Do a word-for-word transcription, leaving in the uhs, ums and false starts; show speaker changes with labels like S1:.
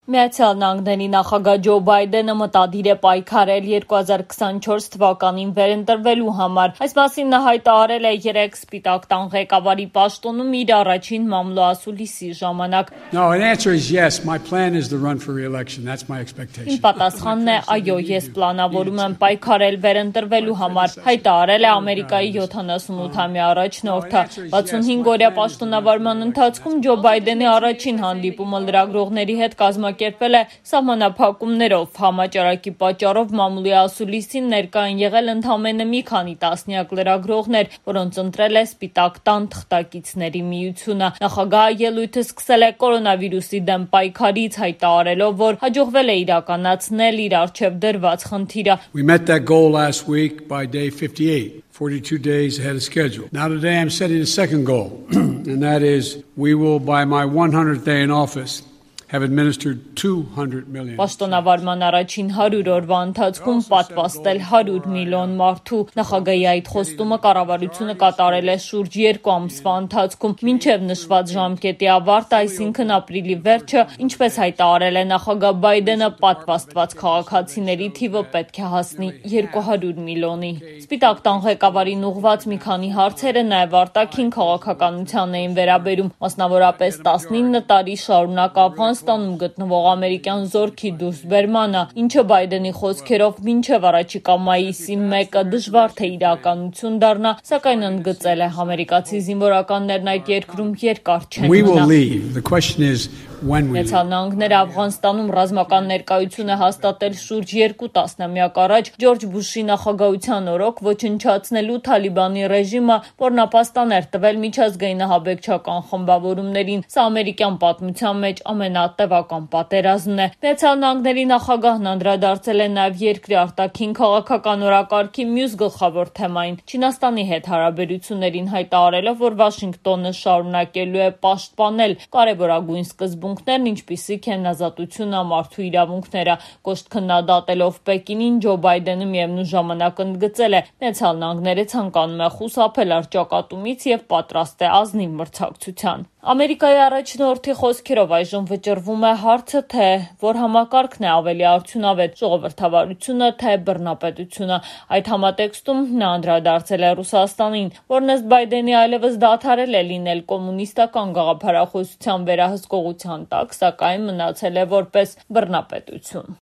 S1: Միացյալ Նահանգների նախագահ Ջո Բայդենը մտադիր է պայքարել երկու հազար քսանչորս թվականին վերընտրվելու համար։ Այս մասին նա հայտարարել է երեկ Սպիտակ տան ղեկավարի պաշտոնում իր առաջին մամլոասուլիսի ժամանակ։
S2: No, the answer is yes. My plan is to run for re-election. That's my expectation.
S1: Իմ պատասխանն է այո, ես պլանավորում եմ պայքարել վերընտրվելու համար, հայտարարել է Ամերիկայի յոթանասունութամյա առաջնորդը։ վաթսունհինգ-օրյա պաշտոնավարման ընթացքում Ջո Բայդենի առաջին հանդիպումը լրագրողների հետ կազմակերպվել է սահմանափակումներով։ Համաճարակի պատճառով մամուլի ասուլիսին ներկա են եղել ընդամենը մի քանի տասնյակ լրագրողներ, որոնց ընտրել է Սպիտակ տան թղթակիցների միությունը։ Նախագահը ելույթը սկսել է կորոնավիրուսի դեմ պայքարից, հայտարարելով, որ հաջողվել է իրականացնել իր առջև դրված խնդիրը։
S2: We met that goal last week by day fifty-eight. forty-two days ahead of schedule. Now today I'm setting a second goal, and that is we will, by my one hundredth day in office, have administered two hundred million.
S1: Պաշտոնավարման առաջին հարյուր օրվա ընթացքում պատվաստել հարյուր միլիոն մարդու։ Նախագահի այդ խոստումը կառավարությունը կատարել է շուրջ երկու ամսվա ընթացքում, մինչև նշված ժամկետի ավարտը, այսինքն ապրիլի վերջը, ինչպես հայտարարել է նախագահ Բայդենը, պատվաստված քաղաքացիների թիվը պետք է հասնի երկու հարյուր միլիոնի։ Սպիտակ տան ղեկավարին ուղղված մի քանի հարցերը նաև արտաքին քաղաքականության էին վերաբերում, մասնավորապես տասնինը տարի շարունակ Աֆղանստանում գտնվող ամերիկյան զորքի դուրսբերմանը, ինչը Բայդենի խոսքերով մինչև առաջիկա մայիսի մեկը դժվար թե իրականություն դառնա, սակայն ընդգծել է ամերիկացի զինվորականներն այդ երկրում երկար չեն
S2: մնա։
S1: Միացյալ Նահանգները Աֆղանստանում ռազմական ներկայություն է հաստատել շուրջ երկու տասնամյակ առաջ Ջորջ Բուշի նախագահության օրոք, ոչնչացնելու Թալիբանի ռեժիմը, որն ապաստան էր տվել միջազգային ահաբեկչական խմբավորումներին։ Սա ամերիկյան պատմության մեջ ամենատևական պատերազմն է։ Միացյալ Նահանգների նախագահն անդրադարձել է նաև երկրի արտաքին քաղաքական օրակարգի մյուս գլխավոր թեմային՝ Չինաստանի հետ հարաբերություններին, հայտարարելով, որ Վաշինգտոնը շարունակելու է պաշտպանել կարևորագույն սկզբունքներն, ինչպիսիք են ազատությունը, մարդու իրավունքները։ Կոշտ քննադատելով Պեկինին, Ջո Բայդենը միևնույն ժամանակ ընդգծել է՝ Միացյալ Նահանգները ցանկանում է խուսափել առճակատումից եւ պատրաստ է ազնիվ մրցակցության։ Ամերիկայի առաջնորդի խոսքերով այժմ վճռվում է հարցը, թե որ համակարգն է ավելի արդյունավետ՝ ժողովրդավարությունը, թե բռնապետությունը։ Այդ համատեքստում նա անդրադարձել է Ռուսաստանին, որն ըստ Բայդենի այլևս դադարել է լինել կոմունիստական գաղափարախոսության վերահսկողության տակ, սակայն մնացել է որպես բռնապետություն։